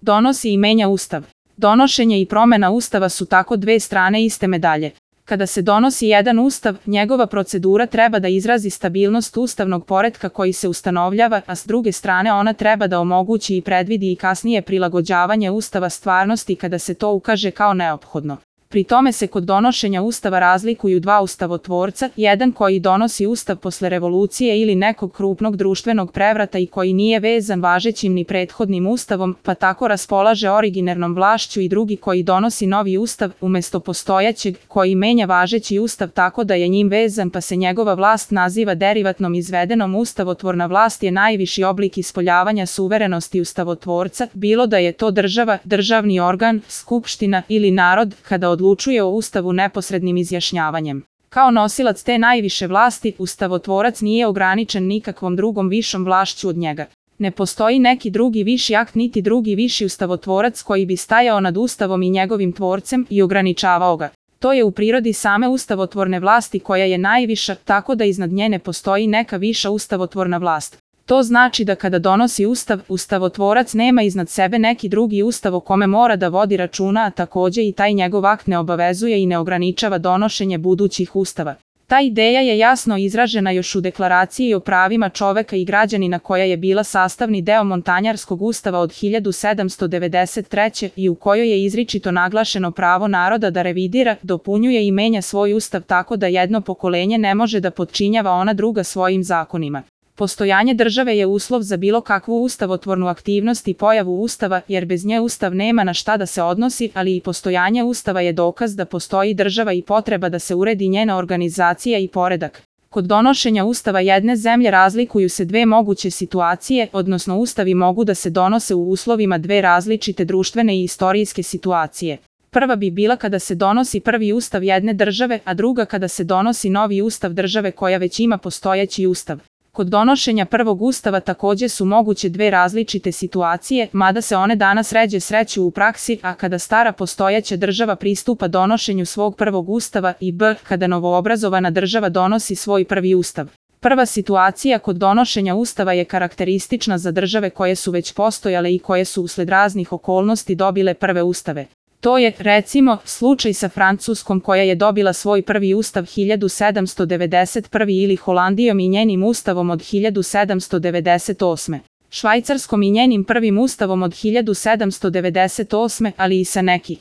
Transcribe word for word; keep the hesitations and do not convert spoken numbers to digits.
Donosi i menja Ustav. Donošenje i promena Ustava su tako dve strane iste medalje. Kada se donosi jedan Ustav, njegova procedura treba da izrazi stabilnost ustavnog poretka koji se ustanovljava, a s druge strane ona treba da omogući i predvidi i kasnije prilagođavanje Ustava stvarnosti kada se to ukaže kao neophodno. Pri tome se kod donošenja Ustava razlikuju dva ustavotvorca, jedan koji donosi Ustav posle revolucije ili nekog krupnog društvenog prevrata i koji nije vezan važećim ni prethodnim Ustavom, pa tako raspolaže originarnom vlašću, i drugi koji donosi novi Ustav umesto postojećeg, koji menja važeći Ustav tako da je njim vezan, pa se njegova vlast naziva derivatnom izvedenom. Ustavotvorna vlast je najviši oblik ispoljavanja suverenosti ustavotvorca, bilo da je to država, državni organ, skupština ili narod, kada odlučuje o Ustavu neposrednim izjašnjavanjem. Kao nosilac te najviše vlasti, ustavotvorac nije ograničen nikakvom drugom višom vlašću od njega. Ne postoji neki drugi viši akt niti drugi viši ustavotvorac koji bi stajao nad Ustavom i njegovim tvorcem i ograničavao ga. To je u prirodi same ustavotvorne vlasti koja je najviša, tako da iznad nje ne postoji neka viša ustavotvorna vlast. To znači da kada donosi Ustav, ustavotvorac nema iznad sebe neki drugi Ustav o kome mora da vodi računa, a takođe i taj njegov akt ne obavezuje i ne ograničava donošenje budućih Ustava. Ta ideja je jasno izražena još u Deklaraciji o pravima čoveka i građanina koja je bila sastavni deo Montanjarskog ustava od hiljadu sedamsto devedeset treće. i u kojoj je izričito naglašeno pravo naroda da revidira, dopunjuje i menja svoj Ustav tako da jedno pokolenje ne može da potčinjava ona druga svojim zakonima. Postojanje države je uslov za bilo kakvu ustavotvornu aktivnost i pojavu Ustava, jer bez nje Ustav nema na šta da se odnosi, ali i postojanje Ustava je dokaz da postoji država i potreba da se uredi njena organizacija i poredak. Kod donošenja Ustava jedne zemlje razlikuju se dve moguće situacije, odnosno Ustavi mogu da se donose u uslovima dve različite društvene i istorijske situacije. Prva bi bila kada se donosi prvi Ustav jedne države, a druga kada se donosi novi Ustav države koja već ima postojeći Ustav. Kod donošenja prvog Ustava takođe su moguće dve različite situacije, mada se one danas ređe sreću u praksi, a kada stara postojeća država pristupa donošenju svog prvog Ustava, i b. kada novoobrazovana država donosi svoj prvi Ustav. Prva situacija kod donošenja Ustava je karakteristična za države koje su već postojale i koje su usled raznih okolnosti dobile prve Ustave. To je, recimo, slučaj sa Francuskom koja je dobila svoj prvi Ustav hiljadu sedamsto devedeset prve. ili Holandijom i njenim Ustavom od hiljadu sedamsto devedeset osme. Švajcarskom i njenim prvim Ustavom od hiljadu sedamsto devedeset osme. ali i sa neki